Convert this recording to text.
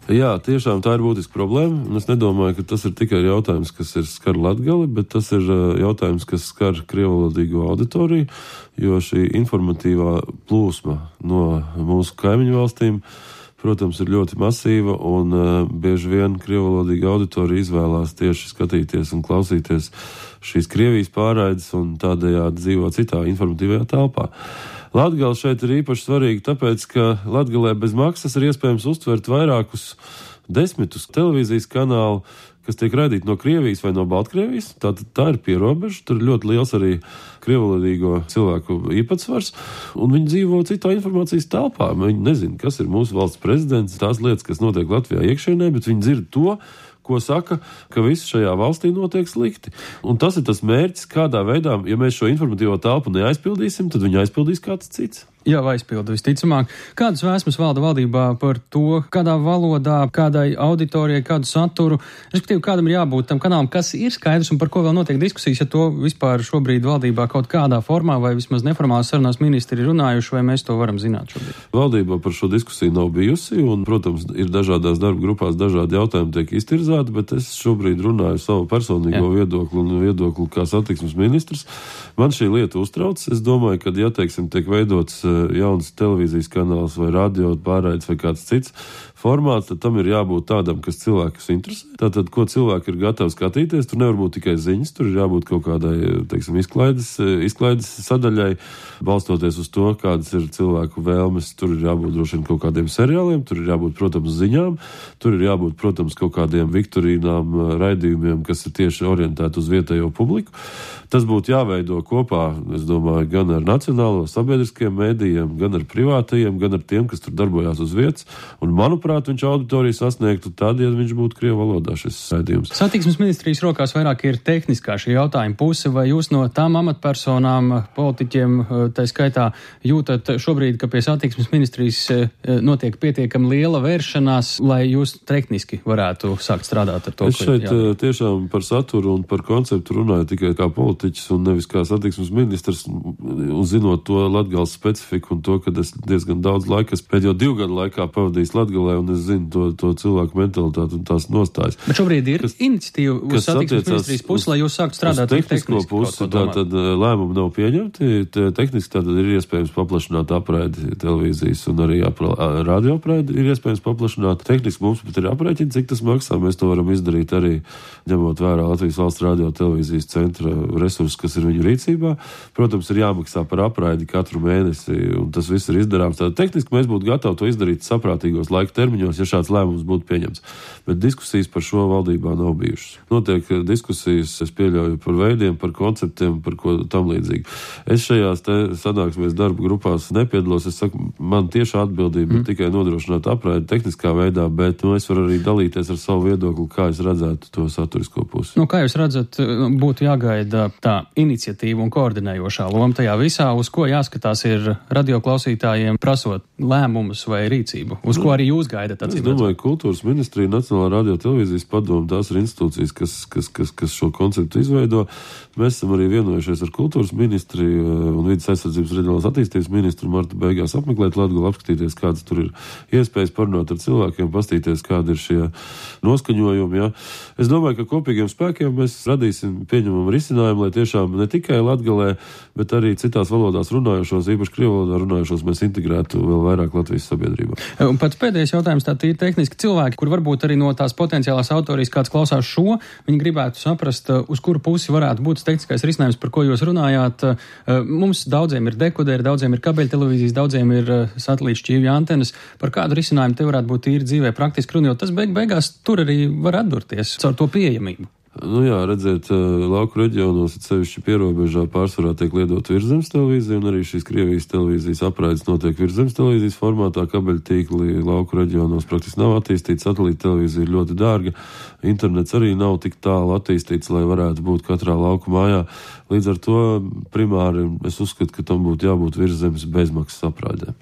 Jā, tiešām tā ir būtiska problēma, un es nedomāju, ka tas ir tikai jautājums, kas skar Latgali, bet tas ir jautājums, kas skar krievvalodīgo auditoriju, jo šī informatīvā plūsma no mūsu kaimiņu valstīm, protams, ir ļoti masīva, un bieži vien krievvalodīga auditorija izvēlās tieši skatīties un klausīties šīs Krievijas pārraides un tādējādi dzīvo citā informatīvajā telpā. Latgale šeit ir īpaši svarīga, tāpēc, ka Latgalē bez maksas ir iespējams uztvert vairākus desmitus televīzijas kanālu, kas tiek raidīti no Krievijas vai no Baltkrievijas. Tā ir pierobeža, tur ir ļoti liels arī krievvalodīgo cilvēku īpatsvars, un viņi dzīvo citā informācijas telpā. Viņi nezina, kas ir mūsu valsts prezidents, tās lietas, kas notiek Latvijā iekšienē, bet viņi dzird to, ko saka, ka viss šajā valstī notiek slikti. Un tas ir tas mērķis, kādā veidā, ja mēs šo informatīvo telpu neaizpildīsim, tad viņu aizpildīs kāds cits. Jau aizpildu visticamāk. Kādas vēsmas valda valdībā par to, kādā valodā, kādai auditorijai, kādu saturu, respektīvi kādam ir jābūt tam kanālam, kas ir skaidrs un par ko vēl notiek diskusijas, ja to vispār šobrīd valdībā kaut kādā formā vai vismaz neformālās sarunās ministri ir runājuši, vai mēs to varam zināt šobrīd? Valdībā par šo diskusiju nav bijusi, un, protams, ir dažādās darba grupās dažādi jautājumi tiek iztirzāti, bet es šobrīd runāju savu personīgo viedokli un viedokli kā satiksmes ministrs. Man šī lieta uztrauc. Es domāju, ka, ja, teiksim, tiek veidots jauns televīzijas kanāls vai radio pārraides vai kāds cits formāts, tad tam ir jābūt tādam, kas cilvēkus interesē. Tātad, ko cilvēki ir gatavi skatīties, tur nevar būt tikai ziņas, tur ir jābūt kaut kādai, teiksim, izklaides sadaļai, balstoties uz to, kādas ir cilvēku vēlmes, tur ir jābūt droši vien kaut kādiem seriāliem, tur ir jābūt, protams, ziņām, tur ir jābūt, protams, kaut kādiem viktorīnām, raidījumiem, kas ir tieši orientēti uz vietējo publiku. Tas būtu jāveido kopā, es domāju, gan ar nacionālo sabiedriskiem mēdījiem, gan ar privātajiem, gan ar tiem, kas tur darbojās uz vietas, un, manuprāt, viņš auditoriju sasniegtu tad, ja viņš būtu krievu valodā šis raidījums. Satiksmes ministrijas rokās vairāk ir tehniskā šī jautājuma puse, vai jūs no tām amatpersonām, politiķiem, tā skaitā, jūtat šobrīd, ka pie satiksmes ministrijas notiek pietiekami liela vēršanās, lai jūs tehniski varētu sākt strādāt ar to? Es šeit tiešām par saturu un par konceptu runāju tikai kā politiķis un nevis kā satiksmes ministrs, un zinot to Latgales specifiku un to, ka es diezgan daudz laika, pēdējo 2 gadu laikā pavadījis Latgalē, un es zinu to cilvēku mentalitāti un tās nostājas. Bet šobrīd ir iniciatīva uz satiksmes ministrijas pusi, lai jūs sāktu strādāt ar tehnisko pusi, tātad lēmumi nav pieņemti, tehniski tātad ir iespējams paplašināt apraidi televīzijas un arī radio apraidi ir iespējams paplašināt. Tehniski mums pat ir aprēķini, cik tas maksā, mēs to varam izdarīt arī ņemot vērā Latvijas valsts radio televīzijas centra resursus, kas ir viņu rīcībā. Protams, ir jāmaksā par apraidi katru mēnesi, un tas viss ir izdarāms. Tātad tehniski mēs būtu gatavi to izdarīt saprātīgos laika termiņos, ja šāds lēmums būtu pieņemts. Bet diskusijas par šo valdībā nav bijušas. Notiek diskusijas, es pieļauju, par veidiem, par konceptiem, par ko tam līdzīgi. Es šajās sanāksmēs darba grupās nepiedalos. Es saku, man tieši atbildība ir tikai nodrošināt apraidi tehniskā veidā, bet es varu arī dalīties ar savu viedokli, kā es redzētu to saturisko pusi. Kā jūs redzat, būtu jāgaida tā iniciatīva un koordinējošā loma tajā visā, uz ko jāskatās ir radioklausītājiem prasot lēmumus vai rīcību, uz ko arī jūs gaidat? Es domāju, kultūras ministrija, Nacionālā radio televīzijas padome, tās ir institūcijas, kas šo konceptu izveido. Mēs esam arī vienojušies ar kultūras ministriju un vidas aizsardzības reģionālās attīstības ministru marta beigās apmeklēt Latgali, apskatīties, kādas tur ir iespējas parunāt ar cilvēkiem, pastīties, kādi ir šie noskaņojumi. Ja. Es domāju, ka kopīgiem spēkiem mēs radīsim pieņemamu risinājumu, lai tiešām ne tikai Latgalē, bet arī citās valodās runājošos, īpaši krievu valodā runājošos, mēs integrētu vēl vairāk Latvijas sabiedrībā. Un pats pēdējais jautājums, tā ir tehniski cilvēki, kur varbūt arī no tās potenciālās autorijas kāds klausās šo, viņi gribētu saprast, uz kuru pusi varētu būt tehniskais risinājums, par ko jūs runājāt. Mums daudziem ir dekoderi, daudziem ir kabeļtelevīzijas, daudziem ir satelīta šķīvja antenas. Par kādu risinājumu te varētu būt īri dzīvē praktiski runājot, tas beigās tur arī var atdurties caur to pieejamību. Jā, redziet, lauku reģionos, sevišķi pierobežā pārsvarā tiek liedot virszemes televīzija, un arī šīs Krievijas televīzijas apraides notiek virszemes televīzijas formātā. Kabeļtīkli lauku reģionos praktiski nav attīstīts, satelīta televīzija ir ļoti dārga, internets arī nav tik tālu attīstīts, lai varētu būt katrā lauku mājā. Līdz ar to primāri es uzskatu, ka tam būtu jābūt virszemes bezmaksas apraidēm.